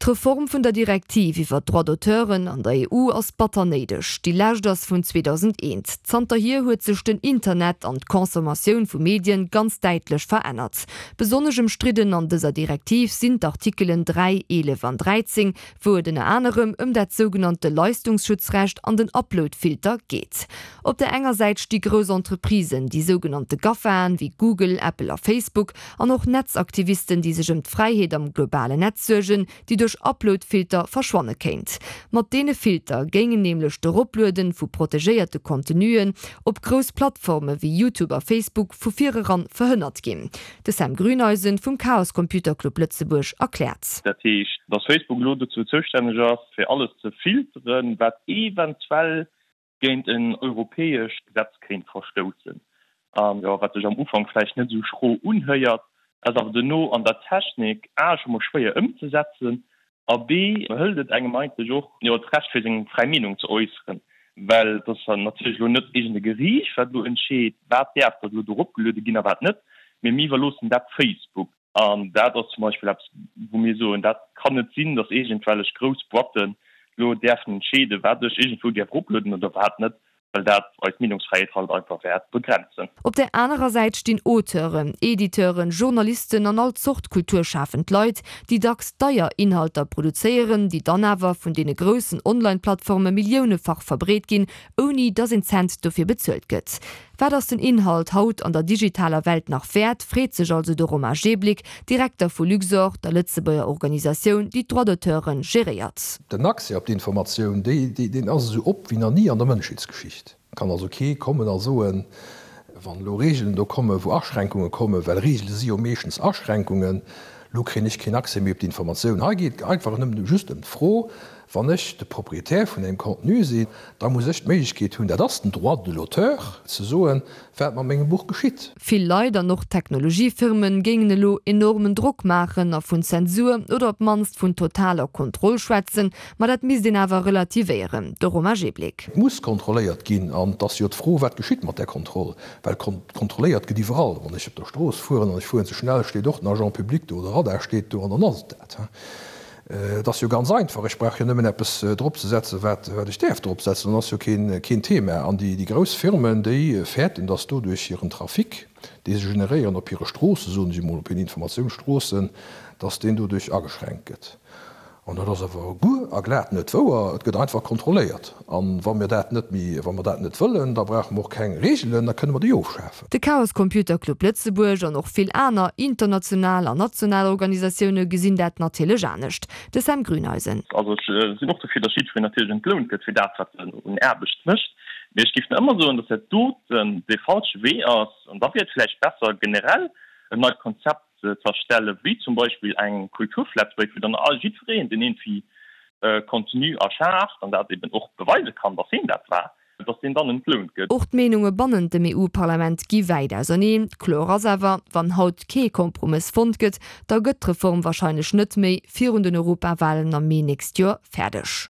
D'Reform vun der Direktiv iwwer d'Droits d'auteuren an der EU ass batter néideg. Déi lescht ass vun 2001. Zanterhier huet sech den Internet an d'Consommatioun vu Medien ganz däitlech verännert. Besonnesch ëmstridden an dëser Direktiv sinn d'Artikelen 3, 11 an 13, wou et ënner anerem ëm dat sougenannte Leistungsschutzrecht an den Uploadfilter geet. Op der enger Säit sti grouss Entreprisen, déi sougenannte GAFAen, wéi Google, Apple a Facebook, an och Netzaktivisten, déi sech ëm d'Fräiheet am globalen Netz suergen, déi duerch Uploadfilter verschwanne kéint. Mat deene Filter géingen nämlech d'Eroplueden vu protegéierte Contenuen op grouss Plattforme wéi YouTube a Facebook vu vireran verhënnert ginn. De Sam Grüneisen vum Chaos Computer Club Lëtzebuerg erkläert. Dat heescht, dass Facebook elo dozou zoustänneg ass, fir alles ze filteren, wat eventuell géint en europäescht Gesetz kéint verstoussen. An jo, wat sech am Ufank vläicht net esou schro unhéiert, ass awer duerno an der Technik a scho mol schwéier ëmzesetzen a b hëlt et engem eigentlech och jo d'Recht fir seng fräi Meenung ze äusseren, well et ass natierlech elo net iergend e Geriicht wat elo entscheet, wat däerf da elo do eropgeluede ginn a wat net, mee mir iwwerloossen dat Facebook. An dat ass zum Beispill eppes, wou mir soen, dat kann net sinn, datt iergendwellech grouss Boîtten elo däerfen entscheeden, wat ech iergendwou däerf eroplueden oder wat net, well dat eis Meenungsfräiheet halt einfach wäert begrenzen. Op där anerer Säit stinn Auteuren, Editeuren, Journalisten an all Zort kulturschafend Leit, déi dacks deier Inhalter produzéieren, déi dann awer vun deene groussen Online-Plattforme milliounefach verbreet ginn, ouni datt een Cent dofir bezuelt gëtt. Wat ass den Inhalt haut an der digitaler Welt nach wäert, freet sech also de Romain Jeblick, Direkter vu Luxorr, der Lëtzebuerger Organisatioun, déi d'Droits d'auteure geréiert. Den Accès op d'Informatioun, deen ass esou op wéi nach ni an der Mënschheetsgeschicht. Et kann also kee kommen a soen, wann elo Regeln do kommen, wou Aschränkunge kommen, well Regele si jo meeschtens Aschränkungen, elo kréien ech keen Accès méi op d'Informatioun. Hei geet et einfach nëmmen just ëm d'Fro, Wann ech de Propriétaire vun engem Contenu sinn, da muss ech d'Méiglechkeet hunn, dat ass den Droit de l'auteur, ze soen, wat mat mengem Buch geschitt. Vill Leit an och Technologiefirmen géingen elo enormen Drock maachen a vun Zensur oder op d'mannst vun totaler Kontroll schwätzen, ma dat misst een awer relativéieren. De Romain Jeblick. Et muss kontrolléiert ginn an et ass jo d'Fro, wat geschitt mat där Kontroll, well kontrolléiert gëtt iwwerall. Wann ech op der Strooss fueren an ech fueren ze schnell, steet och den Agent public do oder Radar steet do an dann ass et dat. Et ass jo ganz einfach, ech brauch jo nëmmen eppes dropzesetzen, wat ech däerf dropsetzen, dann ass jo keen Thema. An déi grouss Firmen, déi fäerten, datt doduerch hiren Trafic, dee se generéieren op hire Stroossen, soen ech emol, op hiren Informatiounsstroossen, datt deen doduerch ageschränkt gëtt. An dat ass awer guer a glat net wouer. Et gëtt einfach kontrolléiert. A wa mir dat net méi, wa mer dat net wëllen, da brauche mer och keng Reegelen, da kënne mer déi ofschafen. De Chaos Computer Club Lëtzebuerg an och vill aner international an national Organisatioune gesinn dat natierlech anescht. De Sam Grüneisen. Also ech sinn och dofir, datt jiddwereen natierlech entlount gëtt fir dat, wat en un Aarbecht mécht. Mee ech géif nach ëmmer soen, datt dat doten dee falsche Wee ass. An da wier et vläicht besser, generell en neit Konzept ze erstellen, wéi zum Beispill eng Kulturflatrate, wou dann all jiddwereen, deen iergendwéi Contenu erschaaft an dat eben och beweise kann, datt hien dat war, dass deen dann entlount gëtt. Och d'Meenunge bannent dem EU-Parlament gi wäit auserneen. Kloer ass awer, wann haut kee Kompromëss fonnt gëtt, da gëtt d'Reform warscheinlech net méi virun den Europawalen am Mee nächst Joer fäerdeg.